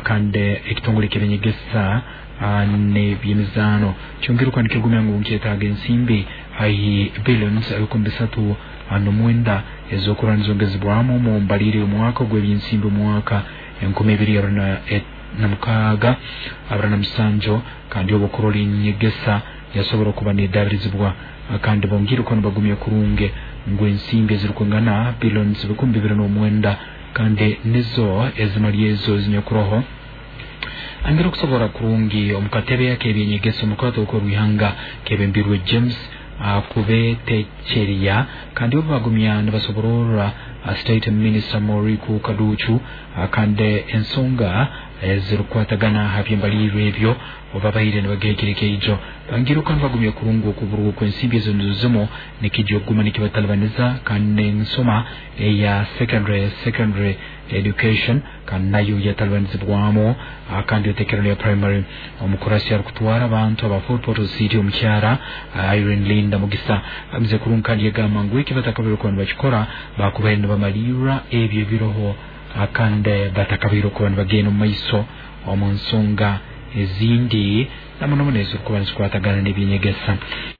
Kandi ekitongole ky'eby'enyegesa n'eby'emizaano kyongere okuba nikigumya ngu nkyetaaga ensimbi haihi billions 309 ez'okurora nizongezebwamu omu mbalirira y'omwaka ogw'ebyensimbi omwaka 2026 kandi obu okurora enyegesa yasobora okuba nedabirizibwa. Kandi bongire okuba nibagumya kurungi ngu ensimbi ezirukwingana billions 2009 kandi nizo ezimali ezo ezinyakuroho angire okusobora kurungi omu katebe ak'ebyenyegesa omu rukato rw'ihanga kebembirwe James Kubetecheria. Kandi obu bagumya nibasoborora State Minister Moriku Kaducu kandi ensonga ezirukukwatagana ha by'embalirwa ebyo obabaire nibagihikira ekeijo, bangire okuba nibagumya kurungi okuburwa kw'ensimbi ezo nizo zimu nikijja okuguma nikibatalibaniza, kandi n'ensoma eya secondary education kandi nayo yatalibanizibwamu, kandi otekera ya primary. Omukurasi arikutwara abantu aba Fort Portal City, omukyara Irene Linda Mugisa, amize kurungi kandi yagamba ngu eki batakabaire kuba nibakikora bakubaire nibamalirra ebyo ebiroho, kandi batakabaire okuba nibagenda omu maiso omu nsonga ezindi namuno muno ezirikuba nizikwatagana n'ebyenyegesa.